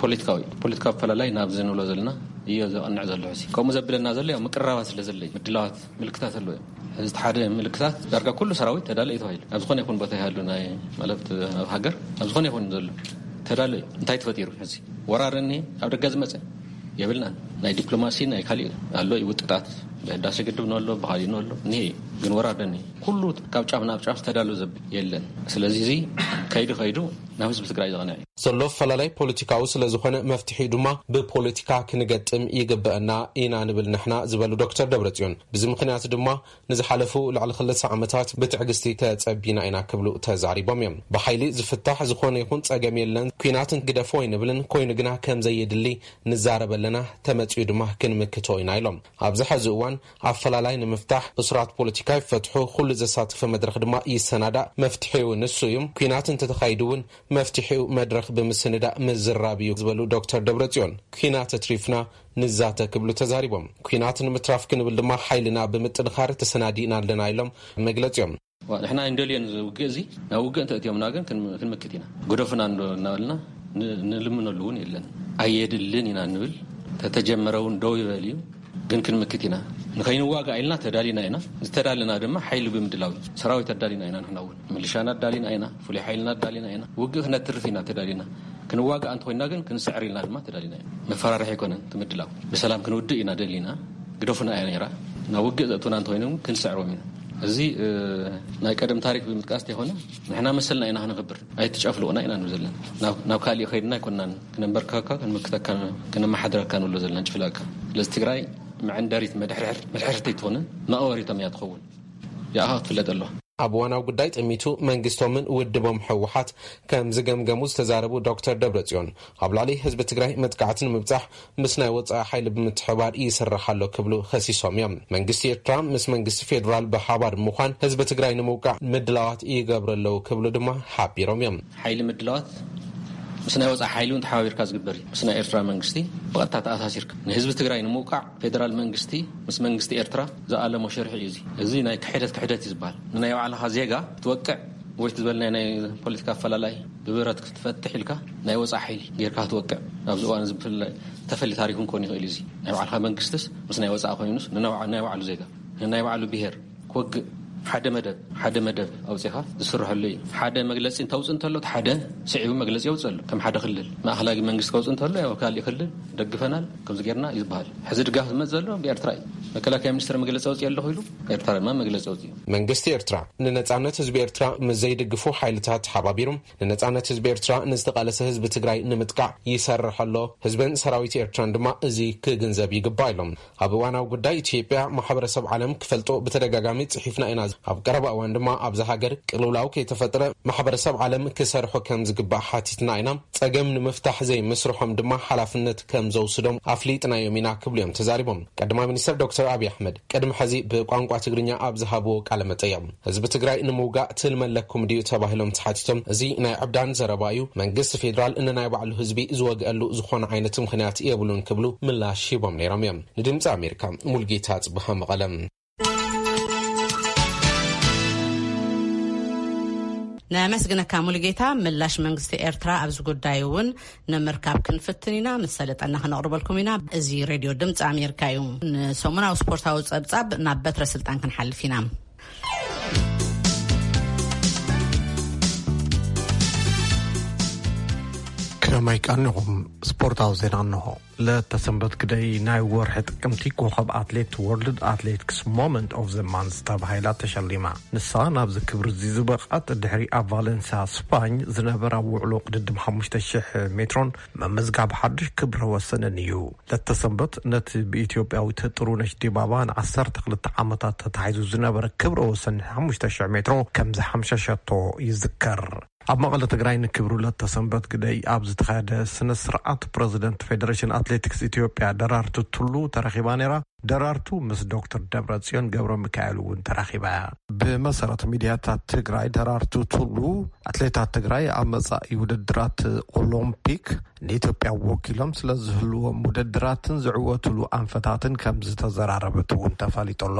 ፖለቲካዊ እዩ። ፖለቲካዊ ኣፈላላይ ናብዚ ንብሎ ዘለና እዮ ዘቕንዕ ዘሎ። ሕዚ ከምኡ ዘብለና ዘሎ ያው ምቅርራባት ስለ ዘሎ እዩ። ምድላዋት ምልክታት ኣለዎ እዮም። ሕዚ እቲ ሓደ ምልክታት ዳርጋ ኩሉ ሰራዊት ተዳለ እዩ ተባሂሉ። ኣብ ዝኾነ ይኹን ቦታ ይሃሉ ናይ ማለት ኣብ ሃገር ኣብ ዝኾነ ይኹን ዘሎ ተዳለ እዩ። እንታይ ተፈጢሩ? ሕዚ ወራር እኒሄ ኣብ ደገ ዝመፀ የብልናን። ናይ ዲፕሎማሲ ናይ ካሊእ ኣሎ እዩ ውጥጣት ብህዳሴ ግድብ ንሎ ብኻሊእ ንሎ እኒሄ እዩ። ግን ወራር እኒሄ ኩሉ ካብ ጫፍ ናብ ጫፍ ተዳሎ ዘብል የለን። ስለዚ እዚ ከይዱ ከይዱ ናብ ህዝቢ ትግራይ ዘቕንዕ እዩ። ዘሎ ኣፈላላይ ፖለቲካዊ ስለ ዝኾነ መፍትሒኡ ድማ ብፖለቲካ ክንገጥም ይግበአና ኢና ንብል ንሕና ዝበሉ ዶክተር ደብረጽዮን፣ ብዚ ምኽንያት ድማ ንዝሓለፉ ልዕሊ ክልተ ዓመታት ብትዕግስቲ ተጸቢና ኢና ክብሉ ተዛሪቦም እዮም። ብሓይሊ ዝፍታሕ ዝኾነ ይኹን ጸገም የለን፣ ኲናት ግደፎ ኣይንብልን፣ ኮይኑ ግና ከም ዘየድሊ ንዛረብ ኣለና፣ ተመጺኡ ድማ ክንምክቶ ኢና ኢሎም። ኣብዚ ሐዚ እዋን ኣፈላላይ ንምፍታሕ እሱራት ፖለቲካ ይፈትሑ፣ ኩሉ ዘሳተፈ መድረኽ ድማ ይሰናዳእ፣ መፍትሒኡ ንሱ እዩ። ኲናት እንተተኻይዱ እውን መፍትሒኡ መድረኽ ብምስንዳእ ምዝራብ እዩ ዝበሉ ዶክተር ደብረጽዮን፣ ኲናት ኣትሪፍና ንዛተ ክብሉ ተዛሪቦም። ኲናት ንምትራፍ ክንብል ድማ ሓይልና ብምጥንኻር ተሰናዲእና ኣለና ኢሎም መግለጺኦም። ዋ፣ ንሕና እንደልዮን እዚ ውግእ እዚ ናብ ውግእ እንተእትዮምና ግን ክን- ክንምክት ኢና። ግደፉና እንዶ እናበልና ን- ንልምነሉ እውን የለን። ኣየድልን ኢና ንብል። ተተጀመረ እውን ደው ይበል እዩ። ግን ክንምክት ኢና። ንኸይንዋጋእ ኢልና ተዳሊና ኢና። ዝተዳለና ድማ ሓይሊ ብምድላው እዩ። ሰራዊት ኣዳሊና ኢና። ንሕና እውን ሚሊሻና ኣዳሊና ኢና። ፍሉይ ሓይልና ኣዳሊና ኢና። ውግእ ክነትርፍ ኢና ተዳሊና። ክንዋጋእ እንተኮይና ግን ክንስዕር ኢልና ድማ ተዳሊና ኢና። መፈራርሒ ኣይኮነን እቲ ምድላው። ብሰላም ክንውድእ ኢና ደሊና። ግደፉና እያ ነይራ። ናብ ውግእ ዘእቱና እንተኮይኖም ክንስዕሮም ኢና። እዚ እ፣ ናይ ቀደም ታሪክ ብምጥቃስ ተይኮነ ንሕና መሰልና ኢና ክነኽብር። ኣይትጨፍልቑና ኢና ንብል ዘለና። ናብ ናብ ካሊእ ከይድና ኣይኮናን ክነንበርከካ ክንምክተካ ክነመሓድረካ ንብሎ ዘለና ንጭፍለካ። ስለዚ ትግራይ መዐንደሪት መድሕርሕር መድሕርሕቲ ኣይትኾንን፣ መቐበሪቶም እያ ትኸውን። ያኣ ክትፍለጥ ኣለዋ። ኣብ እዋናዊ ጉዳይ ጥሚቱ መንግስቶምን ውድቦም ህወሓት ከም ዝገምገሙ ዝተዛረቡ ዶክተር ደብረጽዮን፣ ኣብ ልዕሊ ህዝቢ ትግራይ መጥቃዕቲ ንምብጻሕ ምስ ናይ ወጻኢ ሓይሊ ብምትሕባር ይስራሕ ኣሎ ክብሉ ከሲሶም እዮም። መንግስቲ ኤርትራ ምስ መንግስቲ ፌዴራል ብሓባር ብምዃን ህዝቢ ትግራይ ንምውቃዕ ምድላዋት ይገብሩ ኣለዉ ክብሉ ድማ ሓቢሮም እዮም። ሓይሊ ምድላዋት ምስ ናይ ወጻኢ ሓይሊ እውን ተሓባቢርካ ዝግበር እዩ። ምስ ናይ ኤርትራ መንግስቲ ብቐጥታ ተኣሳሲርካ ንህዝቢ ትግራይ ንምውቃዕ ፌደራል መንግስቲ ምስ መንግስቲ ኤርትራ ዝኣለሞ ሽርሒ እዩ። እዚ እዚ ናይ ክሕደት ክሕደት እዩ ዝበሃል። ንናይ ባዕልኻ ዜጋ ክትወቅዕ ወይ ዝበልናይ ናይ ፖለቲካ ኣፈላላይ ብብረት ክትፈትሕ ኢልካ ናይ ወፃእ ሓይሊ ጌርካ ክትወቅዕ ኣብዚ እዋን እዚ ብፍላይ ተፈሊ ታሪክ እውን ክኾን ይኽእል እዩ። እዚ ናይ ባዕልካ መንግስትስ ምስ ናይ ወፃእ ኮይኑስ ንናይ ባዕ- ናይ ባዕሉ ዜጋ ንናይ ባዕሉ ብሄር ክወግእ ሓደ መደብ ሓደ መደብ ኣውፂኻ ዝስርሐሉ እዩ። ሓደ መግለፂ እንተውፅእ እንተሎ እቲ ሓደ ስዒቡ መግለፂ የውፅእ ኣሎ። ከም ሓደ ክልል ማእኸላይ መንግስቲ ከውፅእ እንተሎ ያው ካልእ ክልል ደግፈናል ከምዚ ጌርና እዩ ዝበሃል። ሕዚ ድጋፍ ዝመፅ ዘሎ ብኤርትራ እዩ። መከላከያ ሚኒስትር መግለፂ ኣውፅእ ኣለኹ ኢሉ ኤርትራ ድማ መግለፂ ኣውፅኡ። መንግስቲ ኤርትራ ንነጻነት ህዝቢ ኤርትራ ምስ ዘይድግፉ ሓይልታት ተሓባቢሩ ንነጻነት ህዝቢ ኤርትራ ንዝተቓለሰ ህዝቢ ትግራይ ንምጥቃዕ ይሰርሕ ኣሎ። ህዝብን ሰራዊት ኤርትራን ድማ እዚ ክግንዘብ ይግባእ ኢሎም። ኣብ እዋናዊ ጉዳይ ኢትዮጵያ ማሕበረሰብ ዓለም ክፈልጦ ብተደጋጋሚ ጽሒፍና ኢና። ኣብ ቀረባ እዋን ድማ ኣብዛ ሃገር ቅልውላው ከይተፈጥረ ማሕበረሰብ ዓለም ክሰርሖ ከም ዝግባእ ሓቲትና ኢና። ጸገም ንምፍታሕ ዘይምስርሖም ድማ ሓላፍነት ከም ዘውስዶም ኣፍሊጥናዮም ኢና ክብሉ እዮም ተዛሪቦም። ቀዳማይ ሚኒስትር ዶክተር ኣብይ ኣሕመድ ቅድሚ ሕዚ ብቋንቋ ትግርኛ ኣብ ዝሃብዎ ቃለ መጠይቕ ህዝቢ ትግራይ ንምውጋእ ትልሚ ኣለኩም ድዩ ተባሂሎም ተሓቲቶም እዚ ናይ ዕብዳን ዘረባ እዩ። መንግስቲ ፌዴራል ንናይ ባዕሉ ህዝቢ ዝወግአሉ ዝኾነ ዓይነት ምኽንያት የብሉን ክብሉ ምላሽ ሂቦም ነይሮም እዮም። ንድምፂ ኣሜሪካ ሙልጌታ ጽብሃ መቐለም። ነመስግነካ ሙሉጌታ። ምላሽ መንግስቲ ኤርትራ ኣብዚ ጉዳይ እውን ንምርካብ ክንፍትን ኢና። ምስ ሰለጠና ክነቕርበልኩም ኢና። እዚ ሬድዮ ድምፂ ኣሜሪካ እዩ። ንሰሙናዊ ስፖርታዊ ፀብፃብ ናብ በትረ ስልጣን ክንሓልፍ ኢና። ከመይ ቀኒኹም? ስፖርታዊ ዜና እንሆ። ለተሰንበት ግደይ ናይ ወርሒ ጥቅምቲ ኮኸብ ኣትሌት ወርልድ ኣትሌቲክስ ሞመንት ኦፍ ዘ ማንስ ተባሂላ ተሸሊማ። ንሳ ናብዚ ክብሪ እዚ ዝበቕዓት ድሕሪ ኣብ ቫለንሲያ ስፓኝ ዝነበራ ውዕሎ ቅድድም ሓሙሽተ ሽሕ ሜትሮን መመዝጋብ ሓድሽ ክብረ ወሰንን እዩ። ለተሰንበት ነቲ ብኢትዮጵያዊት ጥሩነሽ ዲባባ ንዓሰርተ ክልተ ዓመታት ተታሒዙ ዝነበረ ክብረ ወሰን ሓሙሽተ ሽሕ ሜትሮ ከም ዝሓምሸሸቶ ይዝከር። ኣብ መቐለ ትግራይ ንክብሩ ለተሰንበት ግደይ ኣብ ዝተኻየደ ስነ ስርዓት ፕረዚደንት ፌደሬሽን ኣትሌቲክስ ኢትዮጵያ ደራርቱ ቱሉ ተረኺባ ነይራ። ደራርቱ ምስ ዶክተር ደብረጽዮን ገብረ ሚካኤል እውን ተራኺባ እያ። ብመሰረት ሚድያታት ትግራይ ደራርቱ ቱሉ ኣትሌታት ትግራይ ኣብ መጻኢ ውድድራት ኦሎምፒክ ንኢትዮጵያ ወኪሎም ስለ ዝህልዎም ውድድራትን ዝዕወትሉ ኣንፈታትን ከም ዝተዘራረበት እውን ተፈሊጡ ኣሎ።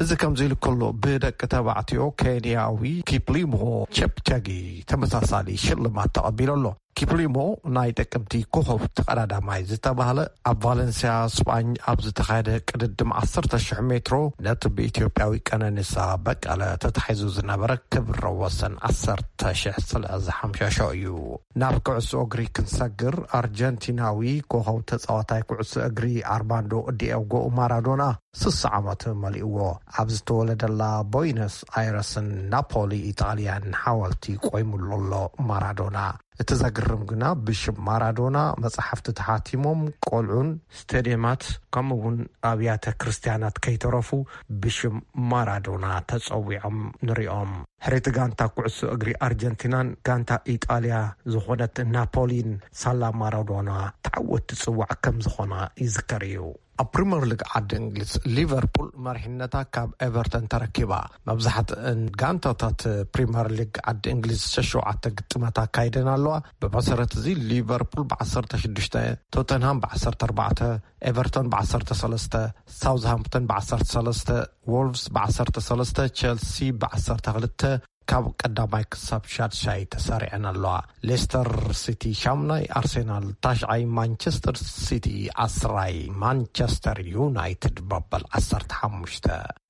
እዚ ከምዚ ኢሉ ከሎ ብደቂ ተባዕትዮ ኬንያዊ ኪፕሊሞ ቸፕቸጊ ተመሳሳሊ ሽልማት ተቐቢሉ ኣሎ። ኪፕሊሞ ናይ ጥቅምቲ ኮኸብ ተቐዳዳማይ ዝተባህለ ኣብ ቫለንሲያ ስጳኝ ኣብ ዝተኻየደ ቅድድም ዓሰርተ ሽሕ ሜትሮ ነቲ ብኢትዮጵያዊ ቀነኒሳ በቀለ ተታሒዙ ዝነበረ ክብረ ወሰን ዓሰርተ ሽሕ ስለ ዝሓምሸሾ እዩ። ናብ ኩዕሶ እግሪ ክንሰግር ኣርጀንቲናዊ ኮኸብ ተጻዋታይ ኩዕሶ እግሪ ኣርማንዶ ዲየጎ ማራዶና ስሳ ዓመት መሊእዎ። ኣብ ዝተወለደላ ቦይነስ ኣይረስን ናፖሊ ኢጣልያን ሓወልቲ ቆይሙሉ ኣሎ ማራዶና። እቲ ዘግርም ግና ብሽም ማራዶና መጽሓፍቲ ተሓቲሞም ቆልዑን ስቴድየማት ከምኡ እውን ኣብያተ ክርስትያናት ከይተረፉ ብሽም ማራዶና ተጸዊዖም ንሪኦም። ሕሬቲ ጋንታ ኩዕሶ እግሪ ኣርጀንቲናን ጋንታ ኢጣልያ ዝኾነት ናፖሊን ሳላ ማራዶና ተዓወቲ ጽዋዕ ከም ዝኾና ይዝከር እዩ። ኣብ ፕሪምየር ሊግ ዓዲ እንግሊዝ ሊቨርፑል መሪሕነታ ካብ ኤቨርተን ተረኪባ። መብዛሕትእን ጋንታታት ፕሪምየር ሊግ ዓዲ እንግሊዝ ሸሸውዓተ ግጥማት ኣካይደን ኣለዋ። ብመሰረት እዚ ሊቨርፑል ብ16፣ ቶተንሃም ብ14፣ ኤቨርተን ብ13፣ ሳውዝሃምፕተን ብ13፣ ዎልቭስ ብ13፣ ቸልሲ ብ12፣ ካብ ቀዳማይ ክሳብ ሻድሻይ ተሰሪዐን ኣለዋ። ሌስተር ሲቲ ሻምናይ፣ ኣርሴናል ታሽዓይ፣ ማንቸስተር ሲቲ ዓስራይ፣ ማንቸስተር ዩናይትድ መበል ዓሰርተ ሓሙሽተ።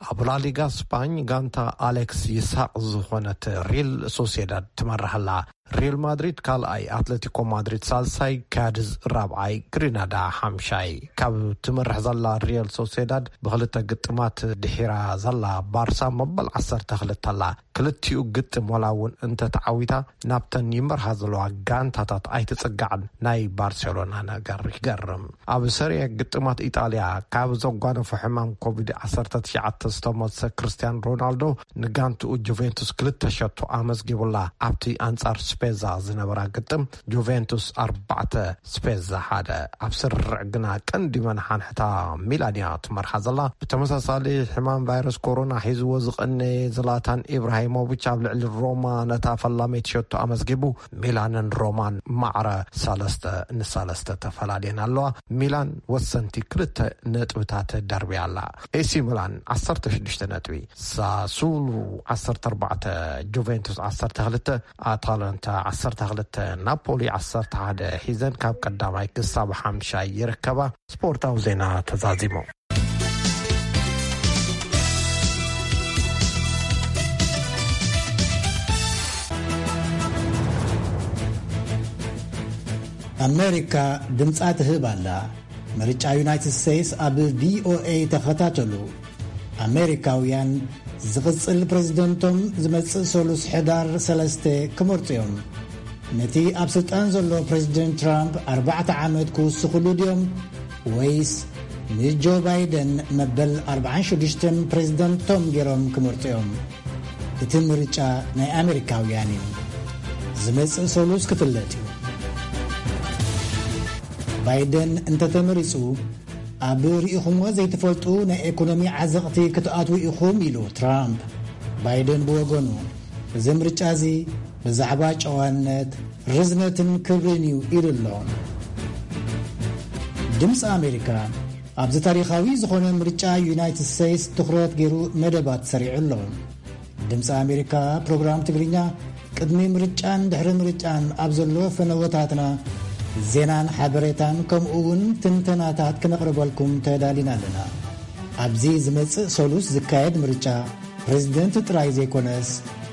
ኣብ ላሊጋ ስፓኝ ጋንታ ኣሌክስ ይስሐቅ ዝኾነት ሪል ሶሴዳድ ትመርሕ ኣላ። ሪል ማድሪድ ካልኣይ፣ ኣትሌቲኮ ማድሪድ ሳልሳይ፣ ካድዝ ራብዓይ፣ ግሪናዳ ሓምሻይ። ካብ ትመርሕ ዘላ ሪል ሶሴዳድ ብክልተ ግጥማት ድሒራ ዘላ ባርሳ መበል ዓሰርተ ክልተ ኣላ። ክልቲኡ ግጥም ዋላ እውን እንተተዓዊታ ናብተን ይመርሃ ዘለዋ ጋንታታት ኣይትጽጋዕን። ናይ ባርሴሎና ነገር ይገርም። ኣብ ሰሪያ ግጥማት ኢጣልያ ካብ ዘጓነፎ ሕማም ኮቪድ ዓሰርተ ትሽዓተ ዝተመልሰ ክርስቲያን ሮናልዶ ንጋንትኡ ጁቬንቱስ ክልተ ሸቶ ኣመዝጊቡላ። ኣብቲ ኣንጻር ስፔዛ ዝነበራ ግጥም፣ ጁቬንቱስ ኣርባዕተ፣ ስፔዛ ሓደ። ኣብ ስርዕ ግና ቀንዲ መናሓንሕታ ሚላን እያ ትመርሓ ዘላ። ብተመሳሳሊ ሕማም ቫይረስ ኮሮና ሒዝዎ ዝቐነየ ዝላታን ኢብራሂሞቪች ኣብ ልዕሊ ሮማ ነታ ፈላመይቲ ሸቶ ኣመዝጊቡ፣ ሚላንን ሮማን ማዕረ ሰለስተ ንሰለስተ ተፈላልየን ኣለዋ። ሚላን ወሰንቲ ክልተ ነጥብታት ደርብያ ኣላ። ኤሲ ሚላን ዓሰርተ ሽዱሽተ ነጥቢ፣ ሳሱሉ ዓሰርተ ኣርባዕተ፣ ጁቬንቱስ ዓሰርተ ክልተ፣ ኣታላንታ ዓሰርተ ክልተ፣ ናፖሊ ዓሰርተ ሓደ ሒዘን ካብ ቀዳማይ ክሳብ ሓምሻይ ይርከባ። ስፖርታዊ ዜና ተዛዚሙ። ኣሜሪካ ድምጻ ትህብ ኣላ። ምርጫ ዩናይትድ ስቴትስ ኣብ ቪኦኤ ተኸታተሉ። ኣሜሪካውያን ዝቕጽል ፕረዚደንቶም ዝመጽእ ሰሉስ ሕዳር ሰለስተ ክመርጹ እዮም። ነቲ ኣብ ስልጣን ዘሎ ፕረዚደንት ትራምፕ ኣርባዕተ ዓመት ክውስኽሉ ድዮም፣ ወይስ ንጆ ባይደን መበል ኣርባዓን ሽዱሽተን ፕረዚደንቶም ገይሮም ክመርጹ እዮም? እቲ ምርጫ ናይ ኣሜሪካውያን እዩ። ዝመጽእ ሰሉስ ክፍለጥ እዩ። ባይደን እንተተመሪጹ፣ ኣብ ርኢኹምዎ ዘይትፈልጡ ናይ ኤኮኖሚ ዓዘቕቲ ክትኣትዉ ኢኹም፣ ኢሉ ትራምፕ። ባይደን ብወገኑ፣ እዚ ምርጫ እዚ ብዛዕባ ጨዋነት፣ ርዝነትን ክብርን እዩ፣ ኢሉ ኣሎ። ድምፂ ኣሜሪካ ኣብዚ ታሪኻዊ ዝኾነ ምርጫ ዩናይትድ ስቴትስ ትኹረት ገይሩ መደባት ሰሪዑ ኣሎ። ድምፂ ኣሜሪካ ፕሮግራም ትግርኛ ቅድሚ ምርጫን ድሕሪ ምርጫን ኣብ ዘሎ ፈነወታትና ዜናን ሓበሬታን ከምኡ እውን ትንተናታት ክነቕርበልኩም ተዳሊና ኣለና። ኣብዚ ዝመጽእ ሰሉስ ዝካየድ ምርጫ ፕሬዝደንት ጥራይ ዘይኮነስ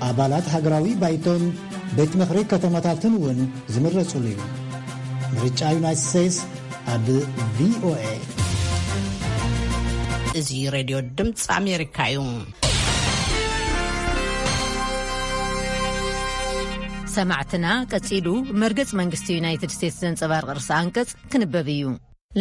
ኣባላት ሃገራዊ ባይቶን ቤት ምኽሪ ከተማታትን እውን ዝምረጹሉ እዩ። ምርጫ ዩናይትድ ስቴትስ ኣብ ቪኦኤ። እዚ ሬድዮ ድምፂ ኣሜሪካ እዩ። ሰማዕትና፣ ቀጺሉ መርገጽ መንግስቲ ዩናይትድ ስቴትስ ዘንጸባርቕ ርእሰ ኣንቀጽ ክንበብ እዩ።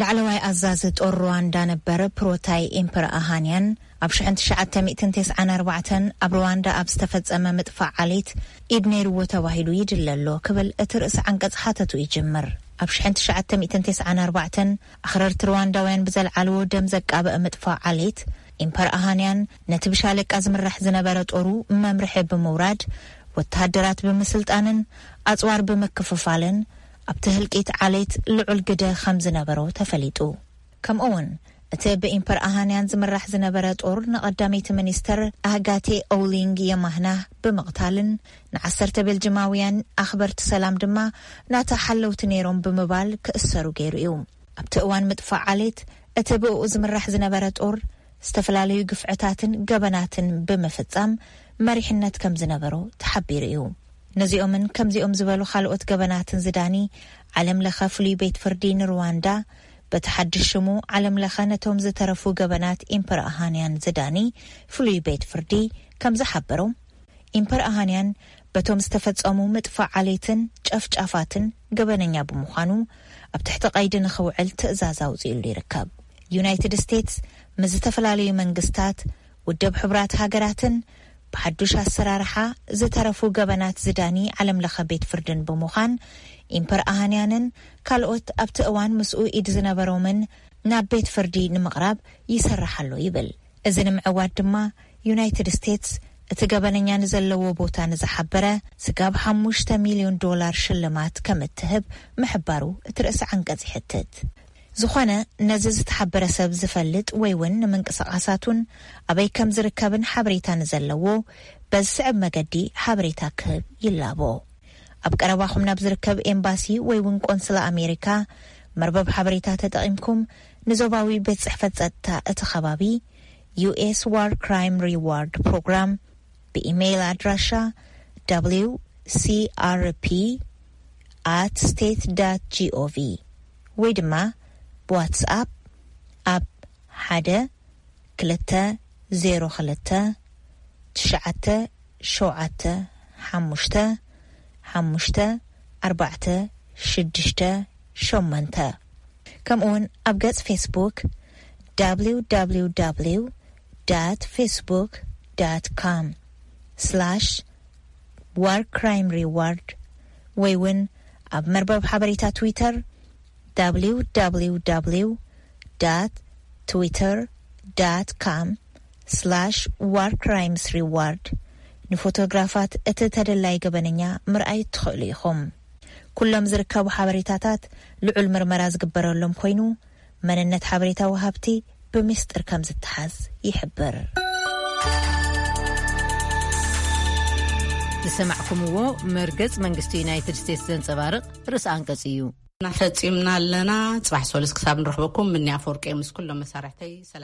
ላዕለዋይ ኣዛዚ ጦር ሩዋንዳ ነበር ፕሮታይ ኢምፐር ኣሃንያን ኣብ ሽሕን ትሽዓተ ሚእትን ተስዓን ኣርባዕተን ኣብ ሩዋንዳ ኣብ ዝተፈጸመ ምጥፋእ ዓሌት ኢድ ነይርዎ ተባሂሉ ይድለ ኣሎ ክብል እቲ ርእሰ ዓንቀጽ ሓተቱ ይጅምር። ኣብ ሽሕን ትሽዓተ ሚእትን ተስዓን ኣርባዕተን ኣኽረርቲ ሩዋንዳውያን ብዘልዓልዎ ደም ዘቃበአ ምጥፋእ ዓሌት፣ ኢምፐር ኣሃንያን ነቲ ብሻለቃ ዝምራሕ ዝነበረ ጦሩ መምርሒ ብምውራድ፣ ወተሃደራት ብምስልጣንን ኣጽዋር ብምክፍፋልን ኣብቲ ህልቂት ዓሌት ልዑል ግደ ከም ዝነበሮ ተፈሊጡ። ከምኡውን እቲ ብኢምፐር ኣሃንያን ዝምራሕ ዝነበረ ጦር ንቐዳመይቲ ሚኒስተር ኣህጋቴ ኦውሊንግ የማህናህ ብምቕታልን ንዓሰርተ ቤልጅማውያን ኣኽበርቲ ሰላም ድማ ናታ ሓለውቲ ነይሮም ብምባል ክእሰሩ ገይሩ እዩ። ኣብቲ እዋን ምጥፋእ ዓሌት እቲ ብእኡ ዝምራሕ ዝነበረ ጦር ዝተፈላለዩ ግፍዕታትን ገበናትን ብምፍጻም መሪሕነት ከም ዝነበሮ ተሓቢሩ እዩ። ነዚኦምን ከምዚኦም ዝበሉ ካልኦት ገበናትን ዝዳኒ ዓለም ለኸ ፍሉይ ቤት ፍርዲ ንሩዋንዳ በቲ ሓድሽ ሽሙ ዓለም ለኸ ነቶም ዝተረፉ ገበናት ኢምፐር ኣሃንያን ዝዳኒ ፍሉይ ቤት ፍርዲ ከም ዝሓበሮ፣ ኢምፐር ኣሃንያን በቶም ዝተፈጸሙ ምጥፋእ ዓሌትን ጨፍጫፋትን ገበነኛ ብምዃኑ ኣብ ትሕቲ ቀይዲ ንኽውዕል ትእዛዝ ኣውጺኡሉ ይርከብ። ዩናይትድ ስቴትስ ምስ ዝተፈላለዩ መንግስታት፣ ውድብ ሕቡራት ሃገራትን ብሓዱሽ ኣሰራርሓ ዝተረፉ ገበናት ዝዳኒ ዓለም ለኸ ቤት ፍርድን ብምዃን፣ ኢምፐር ኣሃንያንን ካልኦት ኣብቲ እዋን ምስኡ ኢድ ዝነበሮምን ናብ ቤት ፍርዲ ንምቕራብ ይሰርሕ ኣሎ ይብል። እዚ ንምዕዋት ድማ ዩናይትድ ስቴትስ እቲ ገበነኛ ንዘለዎ ቦታ ንዝሓበረ ስጋብ ሓሙሽተ ሚልዮን ዶላር ሽልማት ከም እትህብ ምሕባሩ እቲ ርእሰ ዓንቀጽ ይሕትት። ዝኾነ ነዚ ዝተሓበረ ሰብ ዝፈልጥ ወይ እውን ንምንቅስቓሳቱን ኣበይ ከም ዝርከብን ሓበሬታ ንዘለዎ በዚ ስዕብ መገዲ ሓበሬታ ክህብ ይላቦ። ኣብ ቀረባኹም ናብ ዝርከብ ኤምባሲ ወይ እውን ቆንስላ ኣሜሪካ መርበብ ሓበሬታ ተጠቒምኩም ንዞባዊ ቤት ጽሕፈት ጸጥታ እቲ ከባቢ፣ ዩ ኤስ ዋር ክራይም ሪዋርድ ፕሮግራም፣ ብኢሜይል ኣድራሻ ደብሊው ሲ ኣር ፒ ኣት ስቴት ዳት ጂ ኦ ቪ ወይ ድማ ብዋትስኣፕ ኣብ ሓደ ክልተ ዜሮ ክልተ ትሽዓተ ሸውዓተ ሓሙሽተ ሓሙሽተ ኣርባዕተ ሽዱሽተ ሸሞንተ፣ ከምኡውን ኣብ ገጽ ፌስቡክ ደብሊው ደብሊው ደብሊው ዳት ፌስቡክ ዳት ኮም ስላሽ ዋር ክራይም ሪዋርድ ወይ እውን ኣብ መርበብ ሓበሬታ ትዊተር www twitter com war crimes reward ንፎቶግራፋት እቲ ተደላይ ገበነኛ ምርኣይ ትኽእሉ ኢኹም። ኩሎም ዝርከቡ ሓበሬታታት ልዑል ምርመራ ዝግበረሎም ኮይኑ፣ መንነት ሓበሬታ ወሃብቲ ብምስጢር ከም ዝተሓዝ ይሕብር። ዝሰማዕኩምዎ መርገጽ መንግስቲ ዩናይትድ ስቴትስ ዘንጸባርቕ ርእሲ ኣንቀጽ እዩ። እናፈጺምና ኣለና። ጽባሕ ሶሉስ ክሳብ ንረኽበኩም፣ ምንያ ኣፈወርቂ ምስ ኩሎም መሳርሕተይ ሰላም።